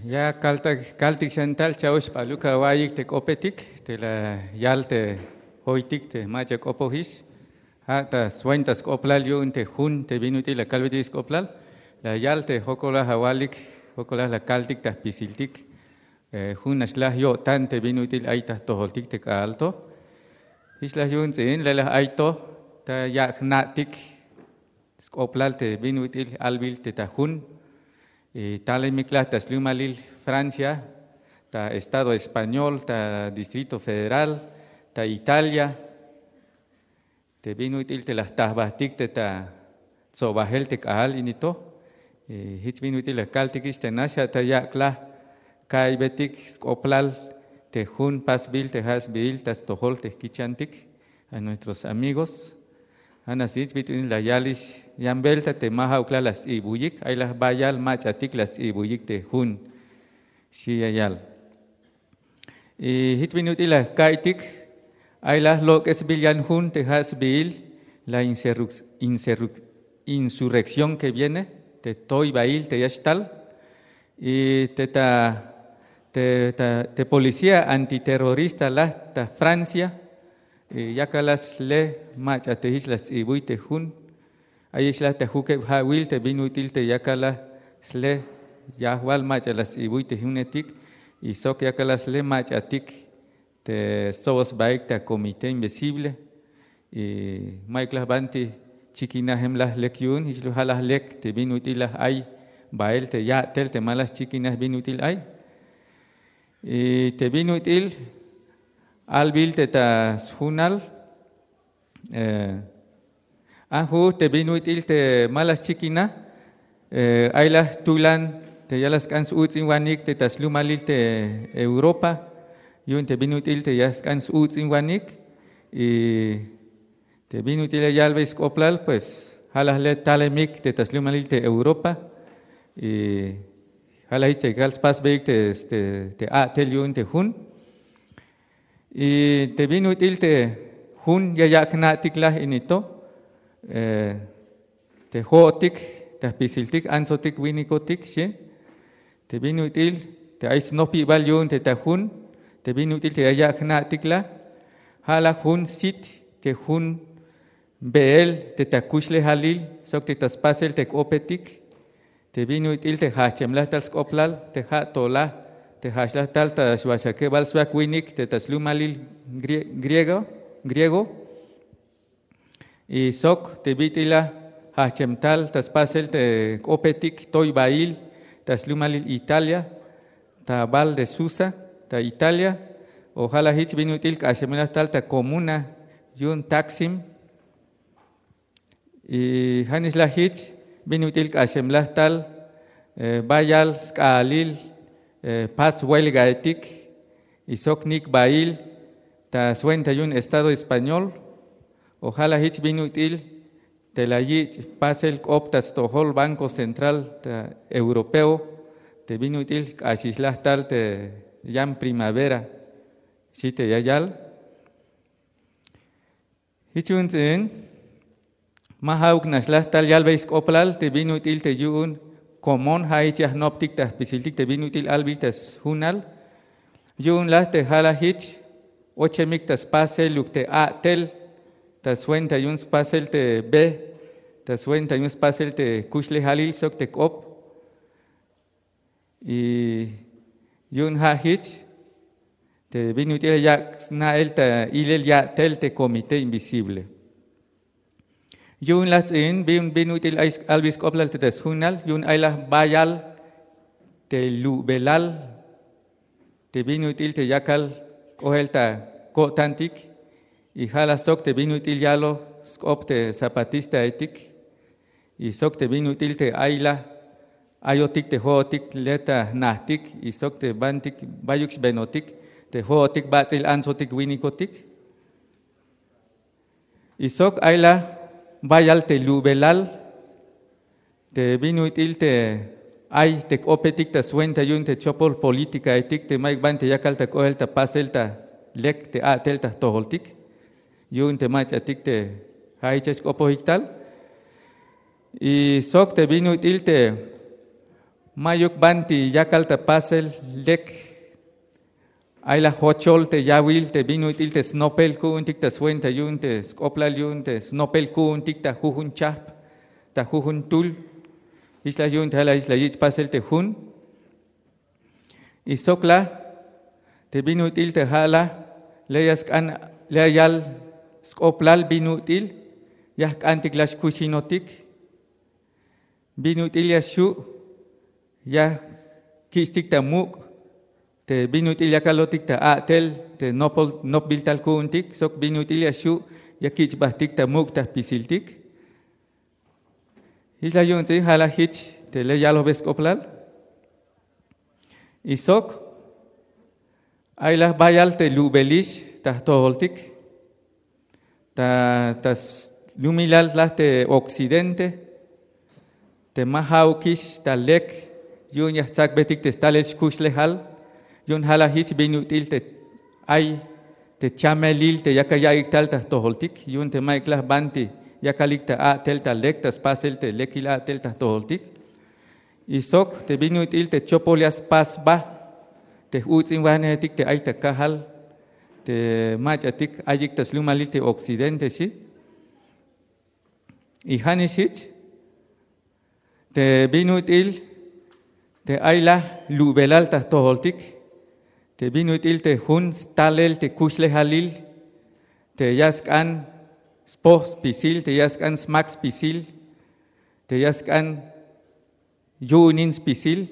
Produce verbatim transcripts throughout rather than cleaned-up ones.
Ya kaltik xan tal cha'ox xp'aluk awa'iyik te k'opetik te la yal te joytik te mach'a k'opojix. Ja' ta swenta sk'oblal yu'un te jun te bin ut'il la kalbetik sk'oblal, la yal te jokolaj awalik, jokolaj la kaltik ta jpisiltik. Jun nax laj yo'tan te bin ut'il ay ta jtojoltik te k'a'al to. Jich laj yu'un ts'i'in lelaj ay to ta yak' jna'tik sk'oblal te bin ut'il albil te ta jun. Talemik laj ta slumalil Francia, ta estado español, ta Distrito Federal, ta Italia. Te bin ut'il te la jta jbajtik te ta tsobajel te k'a'al ini to. Jich bin ut'il la kaltikix te nax ja' ta yak' laj ka'iybetik sk'oblal te jun pasbil te ja' sbiil ta stojol te jkichantik a nuestros amigos. Ja' nax jich bit'il la yalix yan belta te ma ja'uk laj la sts'ibuyik, ay laj bayal mach'atik la sts'ibuyik te jun. Xi ya yal. Jich bin ut'il la ka'iytik, ay laj lok'esbil yan jun te ja' sbiil la insurrección que viene, te toybail te ya xtal. Y te ta te policía antiterrorista laj ta Francia, yakal laj sle mach'a te jich la sts'ibuy te jun. Ayix laj ta jukeb ja'wil te bin ut'il te yakal laj sle yajwal mach'a la sts'ibuy te junetik. Y sok yakal laj sle mach'atik te stsoboj sbaik ta comité invisible. Y mayuk laj banti chikinajem laj lek yu'un, jich laj ja' laj lek te bin ut'il laj ay bael te ya'tel te ma laj xchikinaj bin ut'il ay. Y te bin ut'il albil te ta sjunal, a ju'uj te bin ut'il te ma laj xchikinaj, ay laj tulan te ya laj sk'an s-uts'inwanik te ta slumalil te Europa. Yu'un te bin ut'il te ya sk'an s-uts'inwanik. Y te bin ut'il ya yalbey sk'oblal pues ja' laj le talemik te ta slumalil te Europa. Y ja' laj jich te kal spasbeyik te a'tel yu'un te jun. Y te bin ut'il te jun ya yak' jna'tik laj ini to, te jo'otik ta jpisiltik antsotik winikotik xi. Te bin ut'il te ay snopibal yu'un te ta jun, te bin ut'il te ya yak' jna'tik laj, ja' laj jun sit te jun beel te ta kuxlejalil sok te ta spasel te k'opetik. Te bin ut'il te jajchemlaj tal sk'oblal te ja' to laj te jajchlaj tal ta xwaxakebal swak winik te ta slumalil griego. Y sok te bit'il laj jajchem tal ta spasel te k'opetik toybail ta slumalil Italia, ta bal de Susa ta Italia. O ja' laj jich bin ut'il k'axemlaj tal ta komuna yu'un Taksim. Y ja' nix laj jich bin ut'il k'axemlaj tal bayal sk'aalil pas huelgaetik y sok nik'bail ta swenta yu'un estado español. O ja' laj jich bin ut'il te la yich' pasel k'op ta stojol Banco Central ta Europeo te bin ut'il k'axixlaj tal te yan primavera xi te ya yal. Jich yu'un ts'i'in ma ja'uk nax laj tal yalbey sk'oblal te bin ut'il te yu'un komon ja' jich ya jnoptik ta jpisiltik te bin ut'il albil ta sjunal. Yu'un laj te ja' laj jich ochemik ta spasel yuk te a'tel ta swenta yu'un spasel te be ta swenta yu'un spasel te kuxlejalil sok te k'op. Y yu'un ja' jich te bin ut'il ya yak' sna'el ta ilel ya'tel te comité invisible. Yu'un laj ts'i'in bin ut'il ay albil sk'oblal te ta sjunal yu'un ay laj bayal te lu'belal te bin ut'il te yakal k'oel ta ko'tantik. Y ja' laj sok te bin ut'il yaloj sk'op te zapatistaetik y sok te bin ut'il te ay laj ayotik te jo'otik le ta jnajtik y sok te bantik bayuk xbenotik te jo'otik bats'il antsotik winikotik. Y sok ay laj bayal te lu'belal te bin ut'il te ay te k'opetik ta swenta yu'un te chopol politikaetik te mayuk banti yakal ta k'oel ta pasel ta lek te a'tel ta jtojoltik yu'un te mach'atik te ja' jich ya xk'opojik tal. Y sok te bin ut'il te Mayuk banti yakal ta pasel lek. Ay la jochol te yawil te bin ut'il te snopel ku'untik ta swenta yu'un te sk'oplal yu'un te snopel ku'untik ta jujun chahp, ta jujun tul. Jich la yu'un te ja' la jich la yich' pasel te jun. Y sok la te bin ut'il te ja' la le ya sk'an, le ya yal sk'oplal bin ut'il ya jk'antik la xkuxinotik. Bin ut'il ya xju' ya kich'tik ta muk' te bin ut'il ya kalotik ta a'tel te nopol nopbil tal ku'untik sok bin ut'il ya xju' ya kich' jbahtik ta muk' ta jpisiltik. Jich la yu'un ts'i ja' la jich te le yalojbe sk'oplal. Y sok ay la jbayal te lubelix ta jtojoltik ta ta slumilal la te occidente te ma ja'ukix ta lek yu'un ya jtsakbetik te stalel xkuxlejal. Yu'un ja' la jich bin ut'il te ay te chamelil te yakal ya'iyik tal ta jtojoltik yu'un te mayuk la jbanti yakalik ta a'tel ta lek ta spasel te lekil a'tel ta jtojoltik. Y sok te bin ut'il te chopol ya spas sba te j'uts'inwanejetik te ay ta kajal te mach'atik ayik ta slumalil te occidente xi. Y ja' nix jich te bin ut'il te ay la lubelal ta jtojoltik te bin ut'il te jun stalel te kuxlejalil te ya sk'an spoj spisil te ya sk'an smak spisil te ya sk'an yu'unin spisil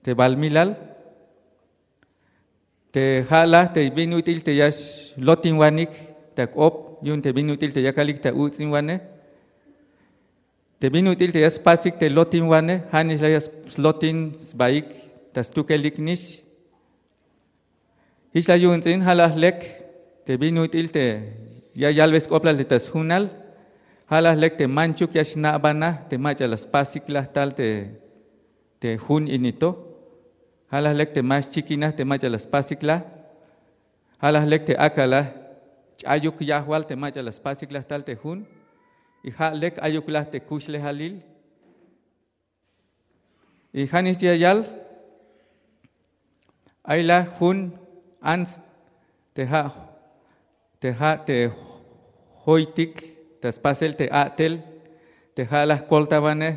te balmilal te ja' la te bin ut'il te ya xlotinwanik ta k'op yu'un te bin ut'il te yakalik ta uts'inwanej. Te bin ut'il te ya spasik te lotinwanej ja' nix la ya slotin sbaik ta stukelik nix. Jich la yu'un ts'in ja' la jlek te bin ut'il te ya yalbe sk'oplal te ta sjunal. Ja' la jlek te manchuk ya xna'banaj te mach'a la spasik la tal te te jun ini to. Ja' la jlek te ma xchikinaj te mach'a la spasik la. Ja' la jlek te ak'a la ch'ayuk yajwal te mach'a la spasik la tal te jun. Y ja' lek ayuk la te kuxlejalil. Y ja' nix ya yal ay la jun ants te ja' te ja' te joytik ta spasel te a'tel te ja' la jkoltawanej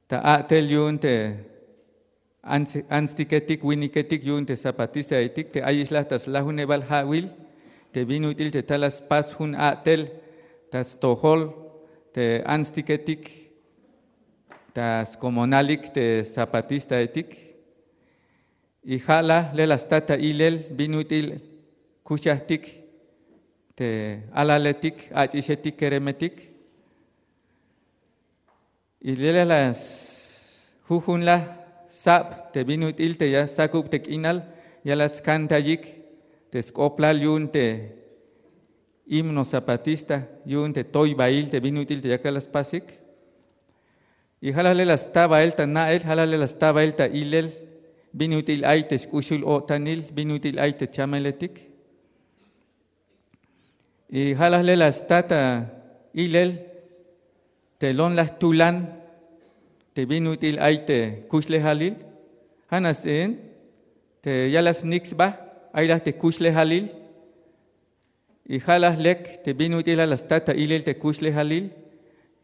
ta a'tel yu'un te antstiketik winiketik yu'un te zapatistaetik te ayix la ta slajunebal ja'wil te bin ut'il te tal la spas jun a'tel ta stojol te antstiketik ta skomonalik te zapatistaetik. Y ja' la le la sta ta ilel bin ut'il kuxajtik te alaletik ach'ixetik keremetik. Y le la jujun la sab te bin ut'il te ya sakub te k'inal ya la skantayik te sk'oplal yu'un te himno zapatista yu'un te toybail te bin ut'il te yakal la spasik. Y ja' la le la sta bael ta na'el ja' la le la sta bael ta ilel bin ut'il ay te xk'uxul-o'tanil bin ut'il ay te chameletik. Y ja' la le la sta ta ilel te lon la jtulan te bin ut'il ay te kuxlejalil. Ja' nax ts'in te ya la snik sba ay la te kuxlejalil. Y ja' la lek te bin ut'il la la sta ta ilel te kuxlejalil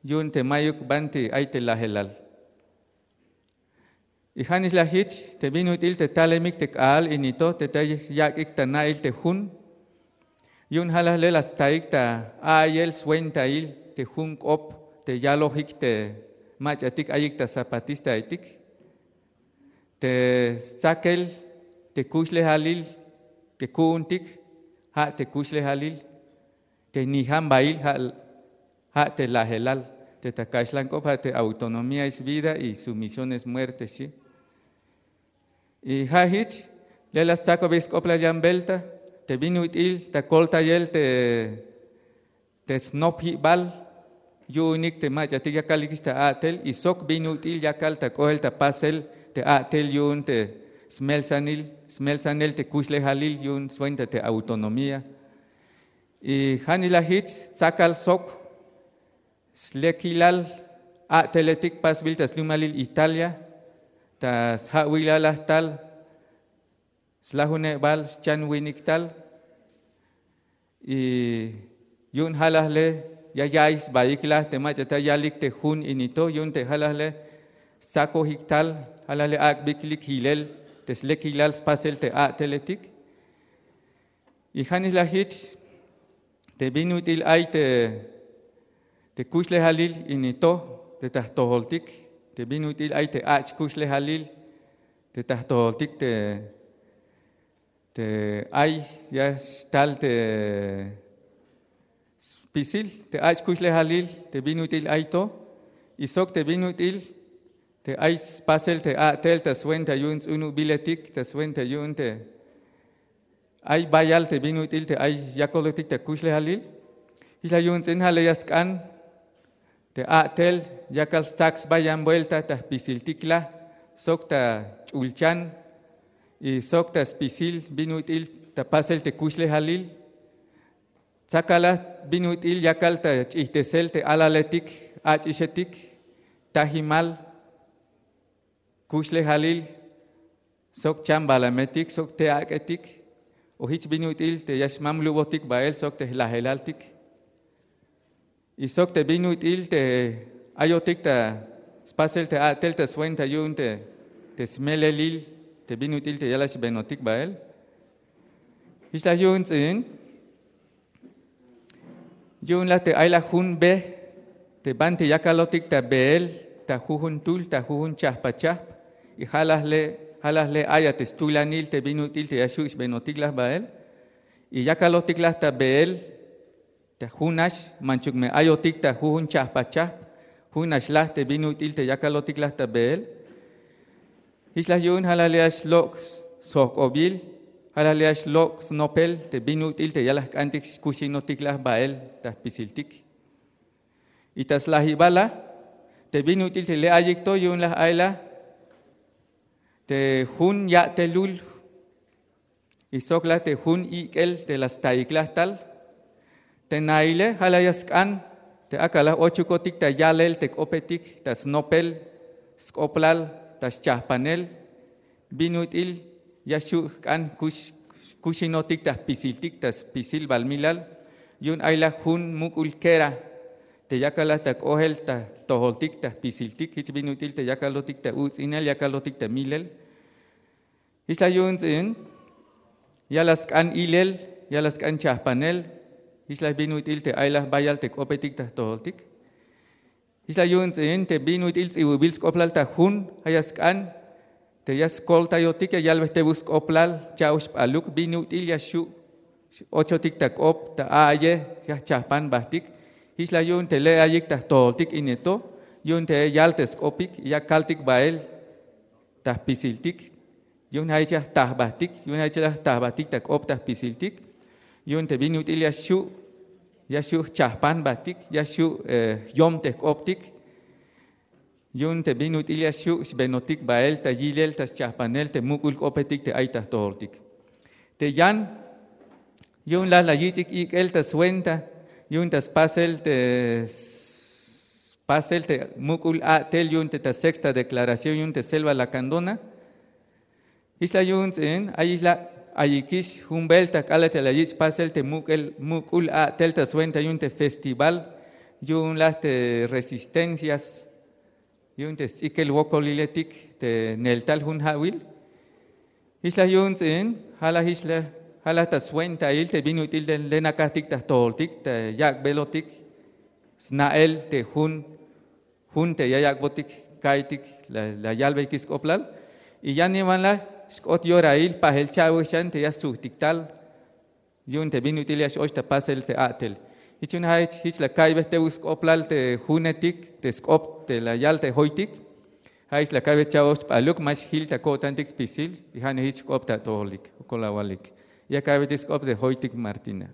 yu'un te mayuk banti ay te lajelal. Y ja' nix la jich te bin ut'il te talemik te k'aal ini to te ta yak'ik ta na'il te jun. Yu'un ja' la le la staik ta a'iyel swentail te jun k'op te yalojik te mach'atik ayik ta zapatistaetik te stsakel te kuxlejalil te ku'untik ja' te kuxlejalil te nijan bail ja' te lajelal te ta kaxlan k'op ja' te autonomía es vida y sumisión es muerte xi. Y ja' jich le la stsakobey sk'oplal yan belta te bin ut'il ta koltayel te te snopjibal yu'unik te mach'atik yakalikix ta a'tel y sok bin ut'il yakal ta k'oel ta pasel te a'tel yu'un te smeltsanil smeltsanel te kuxlejalil yu'un swenta te autonomía. Y ja' nix la jich tsakal sok slekilal a'teletik pasbil ta slumalil Italia, ta sja'wilalaj tal, slajunebal, schan winik tal. Y yu'un jalajle ya ya'iy sbaik la te mach'a ta yalik te jun ini to, yu'un te jalajle stsakojik tal, jalajle ak'biklik jilel te slekilal spasel te a'teletik. Y ja'nix la jich te bin ut'il ay te te kuxlejalil ini to, te ta jtojoltik, te bin ut'il ay te ach' kuxlejalil te ta jtojoltik, te te ay ya xtal te spisil te ach' kuxlejalil, te bin ut'il ay to, y sok te bin ut'il te ay spasel te a'tel ta swenta yu'un ts'unubiletik, ta swenta yu'un te ay bayal te bin ut'il te ay yakolotik ta kuxlejalil. Jich la yu'un ts'in ja' la ya sk'an te a'tel yakal stsak sba yan buelta ta jpisiltik la, sok ta ch'ulchan, y sok ta spisil bin ut'il ta pasel te kuxlejalil. Tsakala bin ut'il yakal ta ch'ijtesel te alaletik, ach'ixetik, tajimal, kuxlejalil, sok chambalametik, sok te ak'etik, o jich bin ut'il te ya xmamlubotik bael sok te jlajelaltik. Y sok te bin ut'il te ayotik ta spasel te a'tel ta swenta yu'un te te smelelil, te bin ut'il te ya la xbenotik bael. Jich la yu'un ts'in yu'un la te ay la jun be te banti yakalotik ta beel, ta jujun tul, ta jujun chajpachajp, y ja' la jle ja' la jle ay a te stulanil te bin ut'il te ya xu' xbenotik la bael. Y yakalotik la ta beel ta junax, manchuk me ayotik ta jujun chajpachajp, junax la te bin ut'il te yakalotik la ta beel. Jich la yu'un ja' la jle ya xlok' sjojk'obil, ja' la jle ya xlok' snopel te bin ut'il te ya la jk'antik xkuxinotik la bael ta jpisiltik. Y ta slajibal la te bin ut'il te le ayik to yu'un la ay la te jun ya'telul, y sok la te jun ik'el te la staik la tal. Te naile ja' la ya sk'an te ak'a la ochukotik ta yalel te k'opetik, ta snopel, sk'oplal, ta schajpanel, bin ut'il ya xu' jk'an kux kuxinotik ta jpisiltik, ta spisil balmilal. Yu'un ay la jun muk'ul kera te yakal la ta k'ohel ta jtojoltik, ta jpisiltik, jich bin ut'il te yakalotik ta uts'inel, yakalotik ta milel. Jich la yu'un ts'in ya la sk'an ilel, ya la sk'an chajpanel. Jich la bin ut'il te ay la bayal te k'opetik ta jtojoltik. Jich la yu'un ts'in te bin ut'il ts'ibubil sk'oplal ta jun, ja' ya sk'an te ya skoltayotik, ya yalbey tebuk sk'oplal cha'oj xb'aluk bin ut'il ya xu' ochotik ta k'op, ta a'yej, ya jchajpan b'ajtik. Jich la yu'un te le ayik ta jtojoltik ini to, yu'un te ya yal te sk'opik, ya kaltik b'ael ta jpisiltik. Yu'un ja' jich ya jta jb'ajtik, yu'un ja' jich ya jta jb'ajtik ta k'op ta jpisiltik. Yu'un te bin ut'il ya xu' ya xu' jchajpan b'ajtik, ya xu' jyom te jk'optik. Yu'un te bin ut'il ya xu' xb'enotik b'ael ta yilel, ta schajpanel te muk'ul k'opetik te ay ta jtojoltik. Te yan yu'un la la yich'ik ik'el ta swenta yu'un ta spasel te spasel te muk'ul a'tel yu'un te ta sexta declaración yu'un te selva lacandona. Jich la yu'un ts'in ayix la ayikix jun b'el ta k'alal te la yich' pasel te muk'ul a'tel ta swenta yu'un te festival yu'un la te resistencias yu'un te sts'ikel wokoliletik te neltal jun ja'wil. Jich la yu'un ts'in ja' la jich la ja' la ta swentail te bin ut'il te lenakajtik ta jtojoltik ta yak'b'elotik sna'el te jun jun te ya yak'botik ka'iytik la yalbeyik sk'oplal. Y yaniwan la xk'ot yorail pajel cha'wej xan te ya stsujtik tal yu'un te bin ut'il ya x-och ta pasel te a'tel. Jich yu'un ja' jich jich la ka'iybe tebuk sk'oplal te junetik te sk'op te la yal te joytik. Ja' jich la ka'iybe cha'oj chb'aluk ma xjil ta ko'tantik spisil. Y ja'ne jich jk'op ta atojolik jokol awalik. Ya ka'iybetik sk'op te joytik Martina.